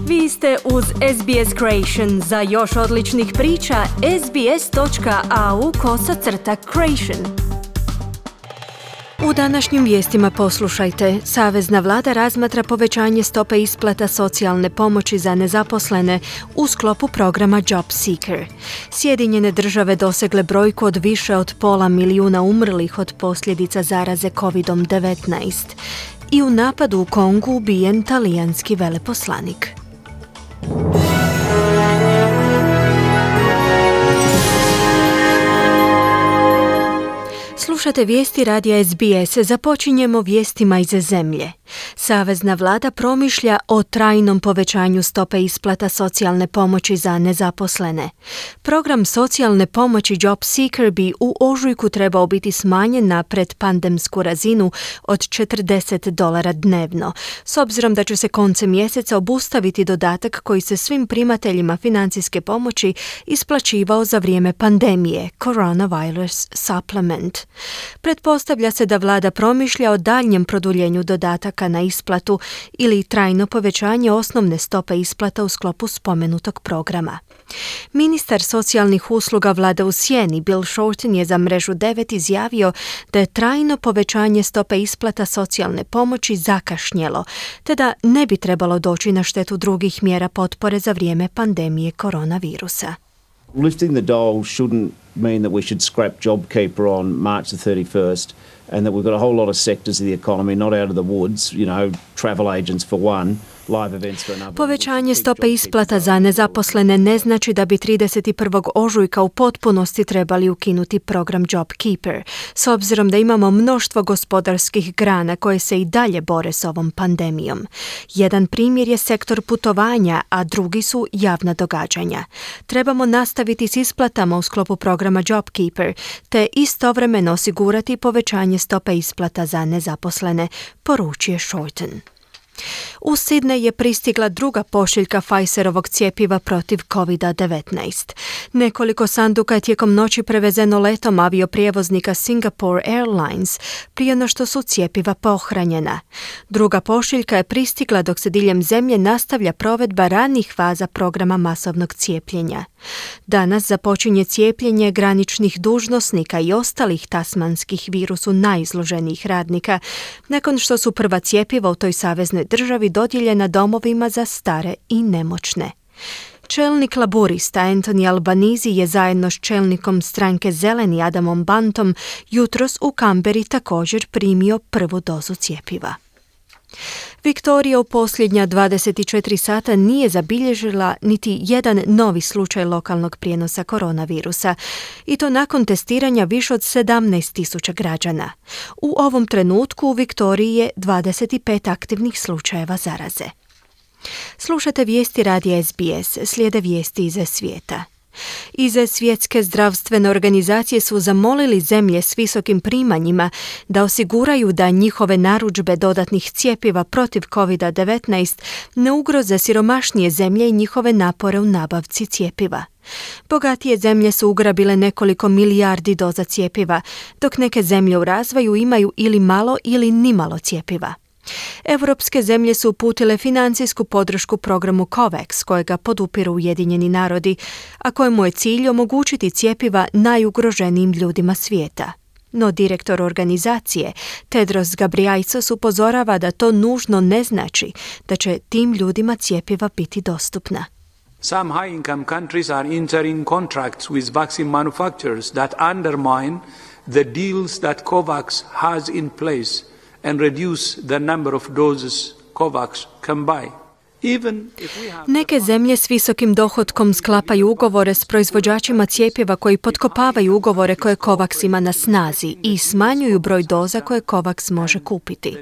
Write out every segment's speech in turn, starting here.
Vi ste uz SBS Creation. Za još odličnih priča, sbs.au/creation. U današnjim vijestima poslušajte. Savezna vlada razmatra povećanje stope isplata socijalne pomoći za nezaposlene u sklopu programa Job Seeker. Sjedinjene države dosegle brojku od više od 500,000 umrlih od posljedica zaraze COVID-19. I u napadu u Kongu ubijen talijanski veleposlanik. Slušate vijesti radija SBS. Započinjemo vijestima iz zemlje. Savezna vlada promišlja o trajnom povećanju stope isplata socijalne pomoći za nezaposlene. Program socijalne pomoći Job Seeker bi u ožujku trebao biti smanjen na predpandemsku razinu od $40 dnevno, s obzirom da će se koncem mjeseca obustaviti dodatak koji se svim primateljima financijske pomoći isplaćivao za vrijeme pandemije, Coronavirus Supplement. Pretpostavlja se da vlada promišlja o daljnjem produljenju dodataka na isplatu ili trajno povećanje osnovne stope isplata u sklopu spomenutog programa. Ministar socijalnih usluga vlada u sjeni Bill Shorten je za mrežu 9 izjavio da je trajno povećanje stope isplata socijalne pomoći zakašnjelo, te da ne bi trebalo doći na štetu drugih mjera potpore za vrijeme pandemije koronavirusa. Lifting the dole shouldn't mean that we should scrap JobKeeper on March the 31st and that we've got a whole lot of sectors of the economy not out of the woods, travel agents for one, live events for another. Povećanje stope isplata za nezaposlene ne znači da bi 31. ožujka u potpunosti trebali ukinuti program JobKeeper, s obzirom da imamo mnoštvo gospodarskih grana koje se i dalje bore s ovom pandemijom. Jedan primjer je sektor putovanja, a drugi su javna događanja. Trebamo nastaviti s isplatama u sklopu programa JobKeeper, te istovremeno osigurati povećanje stope isplata za nezaposlene, poručuje Shorten. U Sydney je pristigla druga pošiljka Pfizerovog cjepiva protiv COVID-19. Nekoliko sanduka je tijekom noći prevezeno letom avioprijevoznika Singapore Airlines prije no što su cjepiva pohranjena. Druga pošiljka je pristigla dok se diljem zemlje nastavlja provedba ranih faza programa masovnog cijepljenja. Danas započinje cijepljenje graničnih dužnosnika i ostalih tasmanskih virusu najizloženijih radnika, nakon što su prva cjepiva u toj saveznoj državi dodijeljena domovima za stare i nemoćne. Čelnik laburista Anthony Albanese je zajedno s čelnikom stranke Zeleni Adamom Bantom jutros u Kamberi također primio prvu dozu cjepiva. Viktorija u posljednja 24 sata nije zabilježila niti jedan novi slučaj lokalnog prijenosa koronavirusa, i to nakon testiranja više od 17,000 građana. U ovom trenutku u Viktoriji je 25 aktivnih slučajeva zaraze. Slušate vijesti radija SBS, slijede vijesti iz svijeta. Iz Svjetske zdravstvene organizacije su zamolili zemlje s visokim primanjima da osiguraju da njihove narudžbe dodatnih cjepiva protiv COVID-19 ne ugroze siromašnije zemlje i njihove napore u nabavci cjepiva. Bogatije zemlje su ugrabile nekoliko milijardi doza cjepiva, dok neke zemlje u razvoju imaju ili malo ili nimalo cjepiva. Europske zemlje su uputile financijsku podršku programu COVAX, kojega podupiru Ujedinjeni narodi, a kojemu je cilj omogućiti cjepiva najugroženijim ljudima svijeta. No direktor organizacije, Tedros Ghebreyesus, upozorava da to nužno ne znači da će tim ljudima cjepiva biti dostupna. Some high-income countries are entering contracts with vaccine manufacturers that undermine the deals that COVAX has in place and reduce the number of doses COVAX can buy. Neke zemlje s visokim dohotkom sklapaju ugovore s proizvođačima cjepiva koji potkopavaju ugovore koje COVAX ima na snazi i smanjuju broj doza koje COVAX može kupiti.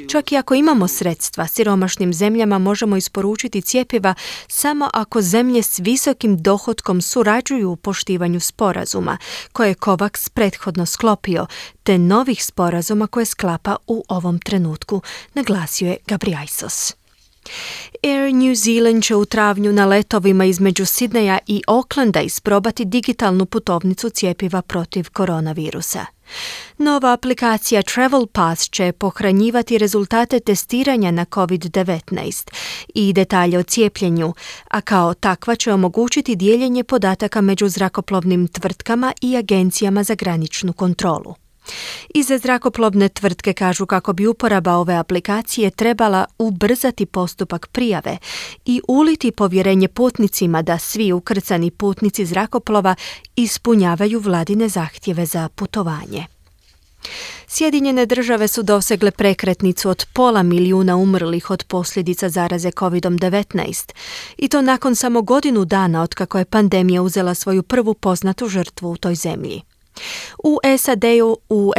Čak i ako imamo sredstva, siromašnim zemljama možemo isporučiti cjepiva samo ako zemlje s visokim dohotkom surađuju u poštivanju sporazuma koje je COVAX prethodno sklopio, te novih sporazuma koje sklapa u ovom trenutku, naglasio je Ghebreyesus. Air New Zealand će u travnju na letovima između Sidneja i Aucklanda isprobati digitalnu putovnicu cjepiva protiv koronavirusa. Nova aplikacija Travel Pass će pohranjivati rezultate testiranja na COVID-19 i detalje o cijepljenju, a kao takva će omogućiti dijeljenje podataka među zrakoplovnim tvrtkama i agencijama za graničnu kontrolu. Iza zrakoplovne tvrtke kažu kako bi uporaba ove aplikacije trebala ubrzati postupak prijave i uliti povjerenje putnicima da svi ukrcani putnici zrakoplova ispunjavaju vladine zahtjeve za putovanje. Sjedinjene države su dosegle prekretnicu od 500 milijuna umrlih od posljedica zaraze COVID-19 i to nakon samo godinu dana otkako je pandemija uzela svoju prvu poznatu žrtvu u toj zemlji. U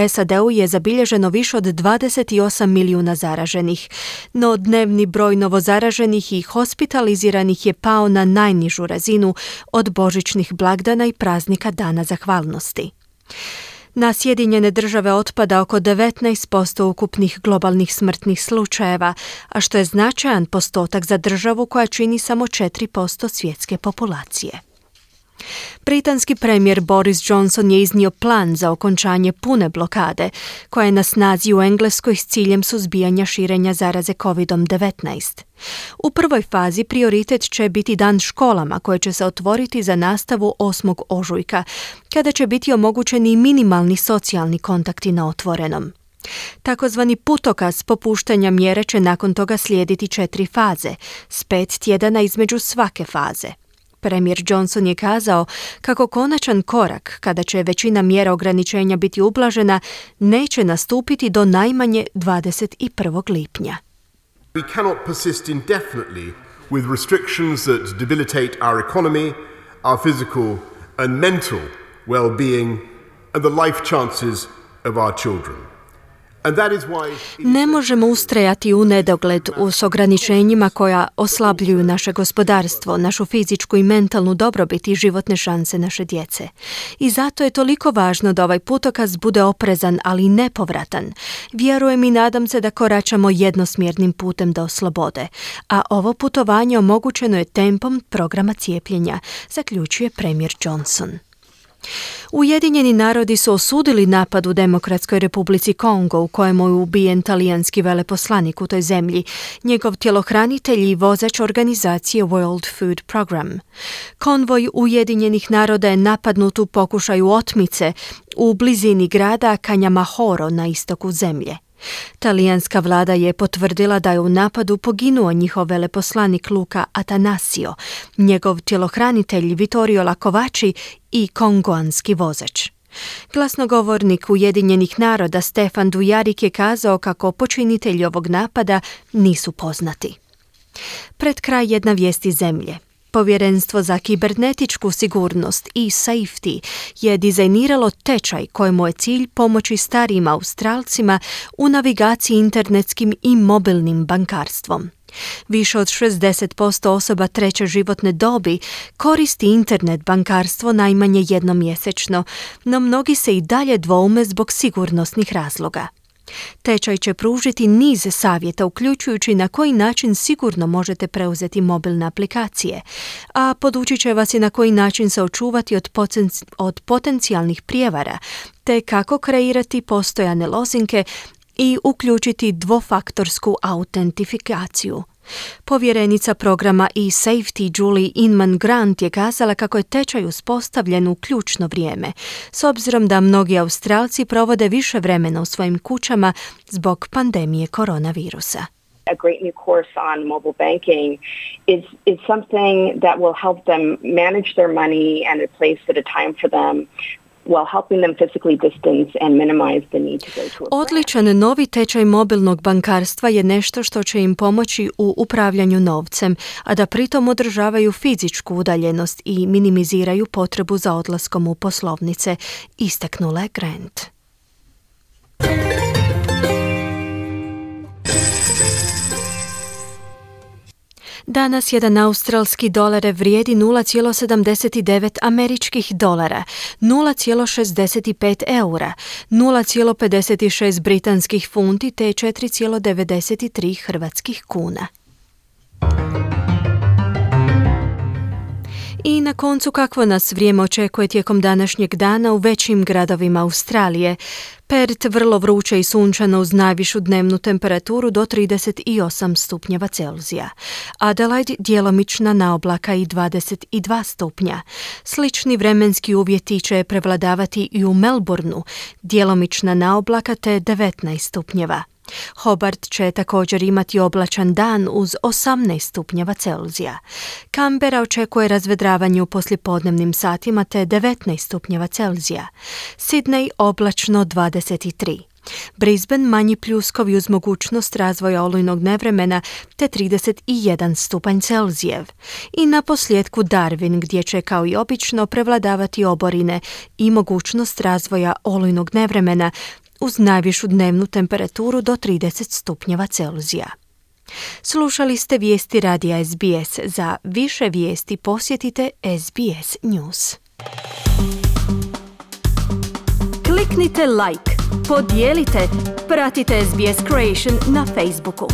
SAD-u je zabilježeno više od 28 milijuna zaraženih, no dnevni broj novozaraženih i hospitaliziranih je pao na najnižu razinu od božićnih blagdana i praznika Dana zahvalnosti. Na Sjedinjene države otpada oko 19% ukupnih globalnih smrtnih slučajeva, a što je značajan postotak za državu koja čini samo 4% svjetske populacije. Britanski premijer Boris Johnson je iznio plan za okončanje pune blokade, koja je na snazi u Engleskoj s ciljem suzbijanja širenja zaraze COVID-19. U prvoj fazi prioritet će biti dan školama koje će se otvoriti za nastavu 8. ožujka, kada će biti omogućeni minimalni socijalni kontakti na otvorenom. Takozvani putokaz popuštanja mjere će nakon toga slijediti 4 faze, s 5 tjedana između svake faze. Premijer Johnson je kazao kako konačan korak, kada će većina mjera ograničenja biti ublažena, neće nastupiti do najmanje 21. lipnja. We cannot persist indefinitely with restrictions that debilitate our economy, our physical and mental well-being and the life chances of our children. Ne možemo ustrajati u nedogled s ograničenjima koja oslabljuju naše gospodarstvo, našu fizičku i mentalnu dobrobit i životne šanse naše djece. I zato je toliko važno da ovaj putokaz bude oprezan, ali nepovratan. Vjerujem i nadam se da koračamo jednosmjernim putem do slobode, a ovo putovanje omogućeno je tempom programa cijepljenja, zaključuje premijer Johnson. Ujedinjeni narodi su osudili napad u Demokratskoj republici Kongo u kojemu je ubijen talijanski veleposlanik u toj zemlji, njegov tjelohranitelj i vozač organizacije World Food Program. Konvoj Ujedinjenih naroda je napadnut u pokušaju otmice u blizini grada Kanyamahoro na istoku zemlje. Talijanska vlada je potvrdila da je u napadu poginuo njihov veleposlanik Luca Atanasio, njegov tjelohranitelj Vittorio Lakovači i kongoanski vozač. Glasnogovornik Ujedinjenih naroda Stefan Dujarric je kazao kako počinitelji ovog napada nisu poznati. Pred kraj jedna vijest iz zemlje. Povjerenstvo za kibernetičku sigurnost i safety je dizajniralo tečaj kojemu je cilj pomoći starijim Australcima u navigaciji internetskim i mobilnim bankarstvom. Više od 60% osoba treće životne dobi koristi internet bankarstvo najmanje jednom mjesečno, no mnogi se i dalje dvoume zbog sigurnosnih razloga. Tečaj će pružiti niz savjeta, uključujući na koji način sigurno možete preuzeti mobilne aplikacije, a podučit će vas i na koji način se očuvati od potencijalnih prijevara, te kako kreirati postojane lozinke i uključiti dvofaktorsku autentifikaciju. Povjerenica programa eSafety Julie Inman Grant je kazala kako je tečaj uspostavljen u ključno vrijeme, s obzirom da mnogi Australci provode više vremena u svojim kućama zbog pandemije koronavirusa. A great new course on mobile banking is something that will help them manage their money and a place at a time for them, while helping them physically distance and minimize the need to go to a branch. Odličan novi tečaj mobilnog bankarstva je nešto što će im pomoći u upravljanju novcem, a da pritom održavaju fizičku udaljenost i minimiziraju potrebu za odlaskom u poslovnice, istaknula je Grant. Danas jedan australski dolar vrijedi 0,79 američkih dolara, 0,65 eura, 0,56 britanskih funti te 4,93 hrvatskih kuna. I na koncu, kakvo nas vrijeme očekuje tijekom današnjeg dana u većim gradovima Australije. Perth vrlo vruće i sunčano uz najvišu dnevnu temperaturu do 38 stupnjeva Celzija. Adelaide djelomična naoblaka i 22 stupnja. Slični vremenski uvjeti će prevladavati i u Melbourneu, djelomična naoblaka te 19 stupnjeva. Hobart će također imati oblačan dan uz 18 stupnjeva Celzija. Canberra očekuje razvedravanje u poslijepodnevnim satima te 19 stupnjeva Celzija. Sydney oblačno 23. Brisbane manji pljuskovi uz mogućnost razvoja olujnog nevremena te 31 stupanj Celzijev. I na posljedku Darwin gdje će kao i obično prevladavati oborine i mogućnost razvoja olujnog nevremena uz najvišu dnevnu temperaturu do 30 stupnjeva Celzija. Slušali ste vijesti radija SBS. Za više vijesti posjetite SBS News. Kliknite like, podijelite, pratite SBS Creation na Facebooku.